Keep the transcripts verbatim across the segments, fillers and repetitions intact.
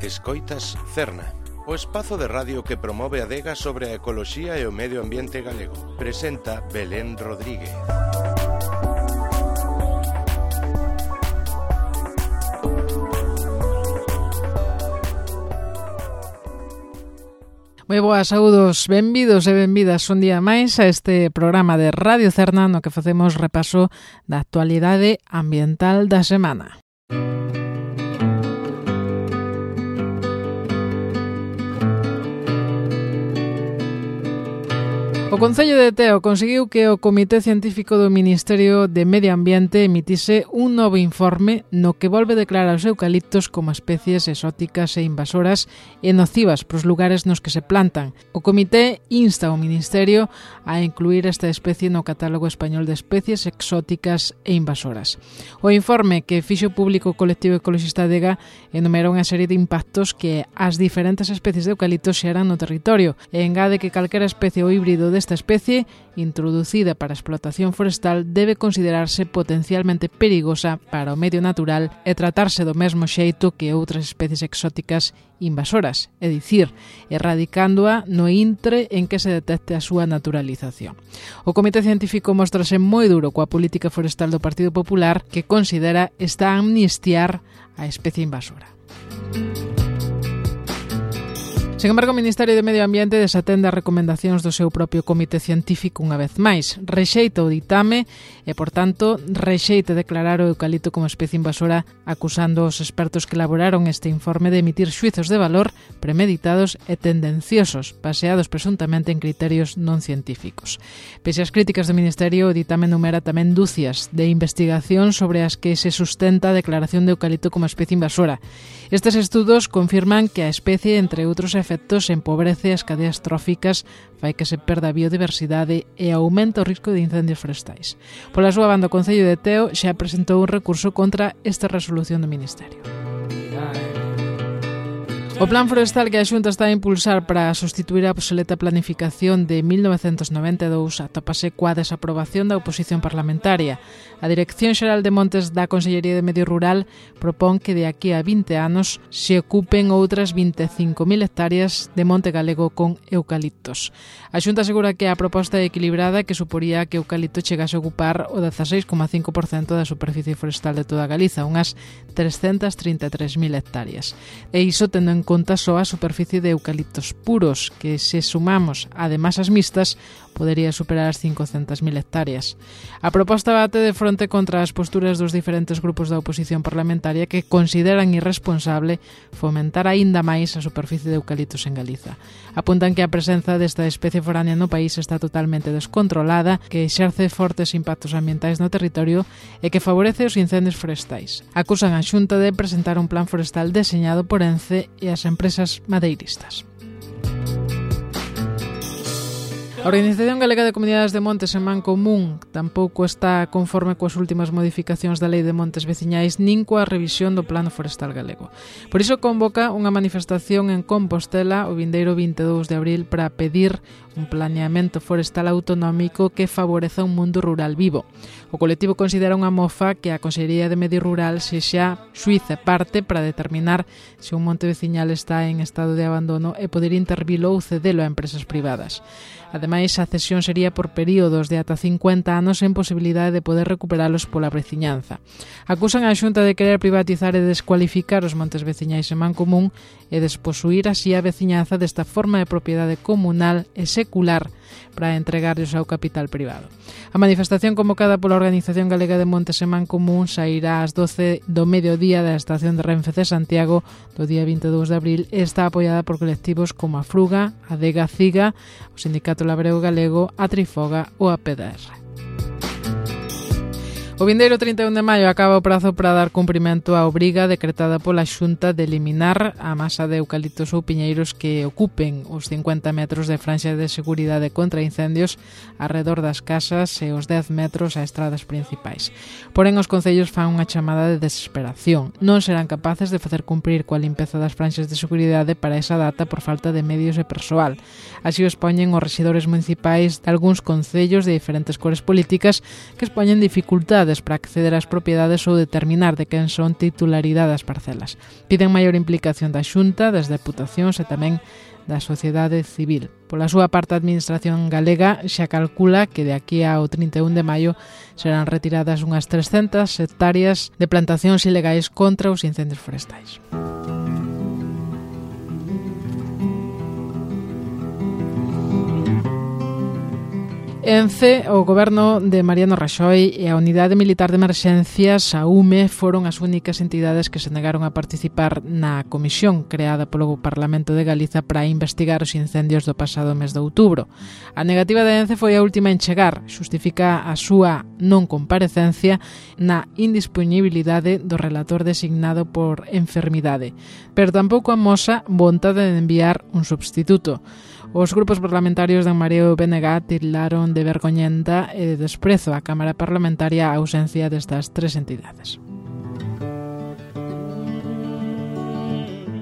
Escoitas Cerna, o espazo de radio que promove a adega sobre a ecoloxía e o medio ambiente galego. Presenta Belén Rodríguez. Moi boas, saúdos, benvidos e benvidas un día máis a este programa de Radio Cerna no que facemos repaso da actualidade ambiental da semana. O Concello de Teo conseguiu que o Comité Científico do Ministerio de Medio Ambiente emitise un novo informe no que volve declarar os eucaliptos como especies exóticas e invasoras e nocivas pros lugares nos que se plantan. O Comité insta ao Ministerio a incluir esta especie no catálogo español de especies exóticas e invasoras. O informe que fixo público o colectivo ecologista Adega enumera unha serie de impactos que as diferentes especies de eucaliptos xeran no territorio e engade que calquera especie ou híbrido desta especie introducida para a explotación forestal debe considerarse potencialmente perigosa para o medio natural e tratarse do mesmo xeito que outras especies exóticas invasoras, é dicir, erradicándoa no intre en que se detecte a súa naturalización. O Comité Científico mostrase moi duro coa política forestal do Partido Popular que considera esta amnistiar a especie invasora. Sen embargo, o Ministerio de Medio Ambiente desatende as recomendacións do seu propio comité científico unha vez máis. Rexeita o ditame e, por tanto, rexeita declarar o eucalipto como especie invasora, acusando os expertos que elaboraron este informe de emitir xuizos de valor premeditados e tendenciosos, baseados presuntamente en criterios non científicos. Pese ás críticas do Ministerio, o ditame numera tamén dúcias de investigación sobre as que se sustenta a declaración de eucalipto como especie invasora. Estes estudos confirman que a especie, entre outros efectos, efectos empobrece as cadeas tróficas, fai que se perda a biodiversidade e aumenta o risco de incendios forestais. Pola súa banda, o Concello de Teo xa presentou un recurso contra esta resolución do Ministerio. O plan forestal que a Xunta está a impulsar para sustituir a obsoleta planificación de mil novecentos noventa e dous atópase coa desaprobación da oposición parlamentaria. A Dirección Xeral de Montes da Consellería de Medio Rural propón que de aquí a vinte anos se ocupen outras vinte e cinco mil hectáreas de monte galego con eucaliptos. A Xunta asegura que a proposta é equilibrada que suporía que o eucalipto chegase a ocupar o dezaseis coma cinco por cento da superficie forestal de toda Galiza, unhas trescentas trinta e tres mil hectáreas. E iso tendo en conta só a superficie de eucaliptos puros, que se sumamos ademais as mixtas, podería superar as cincocentas mil hectáreas. A proposta bate de fronte contra as posturas dos diferentes grupos da oposición parlamentaria que consideran irresponsable fomentar aínda máis a superficie de eucaliptos en Galiza. Apuntan que a presenza desta especie foránea no país está totalmente descontrolada, que exerce fortes impactos ambientais no territorio e que favorece os incendios forestais. Acusan a Xunta de presentar un plan forestal deseñado por Ence e as empresas madeiristas. A Organización Galega de Comunidades de Montes en Mancomún tampouco está conforme coas últimas modificacións da Lei de Montes Veciñais nin coa revisión do Plano Forestal Galego. Por iso convoca unha manifestación en Compostela o vindeiro vinte e dous de abril para pedir un planeamento forestal autonómico que favoreza un mundo rural vivo. O colectivo considera unha mofa que a Consellería de Medio Rural sexa xuíz e parte para determinar se un monte veciñal está en estado de abandono e poder intervilo ou cedelo a empresas privadas. Ademais, a cesión sería por períodos de ata cincuenta anos sen posibilidade de poder recuperalos pola veciñanza. Acusan a Xunta de querer privatizar e descualificar os montes veciñais en Mancomún e desposuir así a veciñanza desta forma de propiedade comunal e secular para entregarlos ao capital privado. A manifestación convocada pola Organización Galega de Montes en Mancomún sairá ás doce do mediodía da estación de Renfe de Santiago do día vinte e dous de abril e está apoiada por colectivos como a Fruga, a Adega Ciga, o Sindicato Labrego Galego, a Trifoga ou a P D R. O vindeiro trinta e un de maio acaba o prazo para dar cumprimento á obriga decretada pola Xunta de eliminar a masa de eucaliptos ou piñeiros que ocupen os cincuenta metros de franxa de seguridade contra incendios arredor das casas e os dez metros a estradas principais. Porén, os concellos fan unha chamada de desesperación. Non serán capaces de facer cumprir coa limpeza das franxas de seguridade para esa data por falta de medios e persoal. Así o expoñen os rexedores municipais de algúns concellos de diferentes cores políticas que expoñen dificultades dificultades para acceder ás propiedades ou determinar de quen son titularidade das parcelas. Piden maior implicación da Xunta, das deputacións e tamén da sociedade civil. Pola súa parte, a Administración galega xa calcula que de aquí ao trinta e un de maio serán retiradas unhas trescentas hectáreas de plantacións ilegais contra os incendios forestais. En C, o goberno de Mariano Raxoi e a Unidade Militar de Emerxencias, a U M E, foron as únicas entidades que se negaron a participar na comisión creada polo Parlamento de Galiza para investigar os incendios do pasado mes de outubro. A negativa de Ence foi a última en chegar, xustifica a súa non comparecencia na indispoñibilidade do relator designado por enfermidade, pero tampouco amosa vontade de enviar un substituto. Os grupos parlamentarios de En Mareo e B N G tildaron de vergoñenta e de desprezo á Cámara Parlamentaria a ausencia destas tres entidades.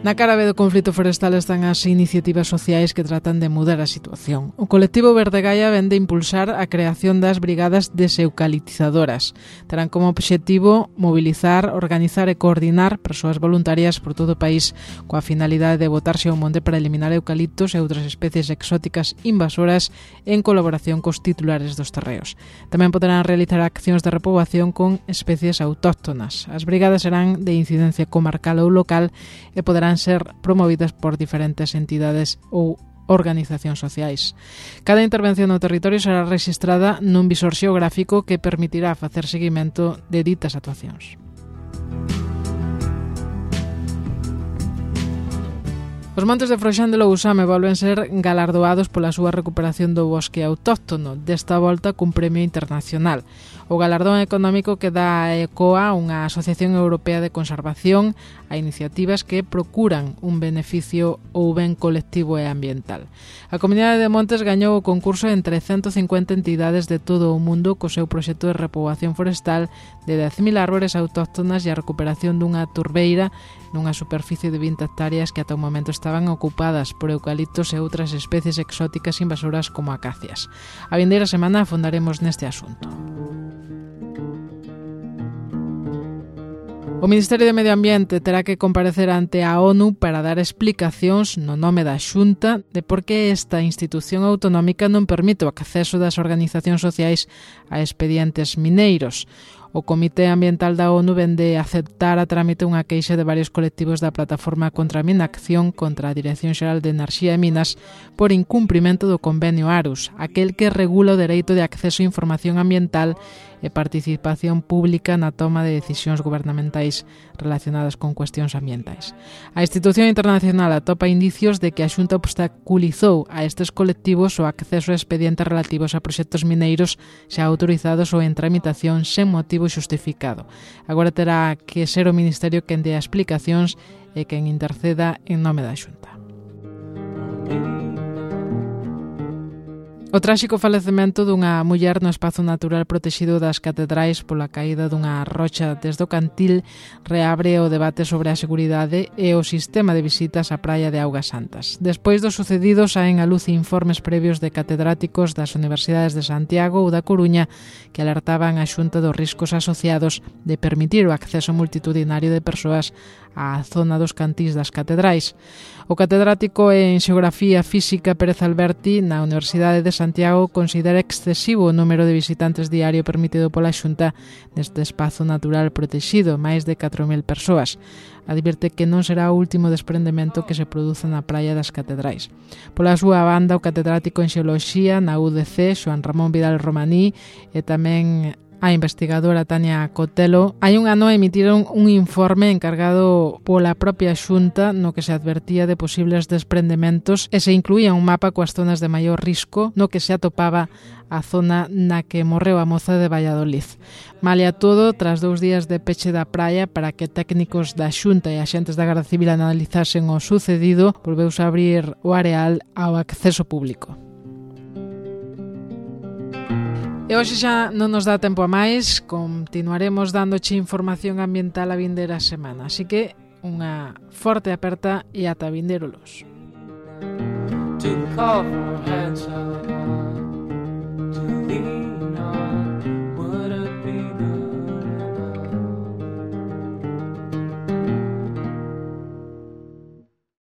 Na cara B do conflito forestal están as iniciativas sociais que tratan de mudar a situación. O colectivo Verde Gaia vén de impulsar a creación das brigadas deseucaliptizadoras. Terán como obxectivo mobilizar, organizar e coordinar persoas voluntarias por todo o país coa finalidade de botarse ao monte para eliminar eucaliptos e outras especies exóticas invasoras en colaboración cos titulares dos terreos. Tamén poderán realizar accións de repoboación con especies autóctonas. As brigadas serán de incidencia comarcal ou local e poderán ser promovidas por diferentes entidades ou organizacións sociais. Cada intervención no territorio será rexistrada nun visor xeográfico que permitirá facer seguimento de ditas actuacións. Os montes de Froxán de Lousame volven ser galardoados pola súa recuperación do bosque autóctono, desta volta cun premio internacional. O galardón económico que dá ecoa unha asociación europea de conservación a iniciativas que procuran un beneficio ou ben colectivo e ambiental. A Comunidade de Montes gañou o concurso entre ciento cincuenta entidades de todo o mundo co seu proxecto de repoboación forestal de dez mil árbores autóctonas e a recuperación dunha turbeira nunha superficie de vinte hectáreas que ata o momento estaban ocupadas por eucaliptos e outras especies exóticas invasoras como acacias. A vindeira semana afondaremos neste asunto. O Ministerio de Medio Ambiente terá que comparecer ante a ONU para dar explicacións no nome da Xunta de por que esta institución autonómica non permite o acceso das organizacións sociais a expedientes mineiros. O Comité Ambiental da ONU vende aceptar a trámite unha queixa de varios colectivos da Plataforma contra a Minacción contra a Dirección Xeral de Enerxía e Minas por incumprimento do convenio Arus, aquel que regula o dereito de acceso a información ambiental e participación pública na toma de decisións gubernamentais relacionadas con cuestións ambientais. A institución internacional atopa indicios de que a Xunta obstaculizou a estes colectivos o acceso a expedientes relativos a proxectos mineiros xa autorizados ou en tramitación sen motivo xustificado. Agora terá que ser o Ministerio quen dea explicacións e quen interceda en nome da Xunta. O tráxico falecemento dunha muller no espazo natural protexido das catedrais pola caída dunha rocha desde o Cantil reabre o debate sobre a seguridade e o sistema de visitas á praia de Augas Santas. Despois do sucedido saen a luz informes previos de catedráticos das Universidades de Santiago ou da Coruña que alertaban a Xunta dos riscos asociados de permitir o acceso multitudinario de persoas á zona dos cantís das catedrais. O catedrático en Xeografía Física Pérez Alberti na Universidade de Santiago considera excesivo o número de visitantes diario permitido pola Xunta neste espazo natural protexido, máis de catro mil persoas. Advirte que non será o último desprendemento que se produza na praia das catedrais. Pola súa banda, o catedrático en Xeoloxía na U D C, Xoán Ramón Vidal Romaní, e tamén a investigadora Tania Cotelo, hai un ano emitiron un informe encargado pola propia Xunta no que se advertía de posibles desprendementos e se incluía un mapa coas zonas de maior risco no que se atopaba a zona na que morreu a moza de Valladolid. Malia todo, tras dous días de peche da praia para que técnicos da Xunta e axentes da Garda Civil analizasen o sucedido, volveuse a abrir o areal ao acceso público. E hoxe xa non nos dá tempo a máis, continuaremos dándoche información ambiental a vindeira semana, así que unha forte aperta e ata vindeiro los.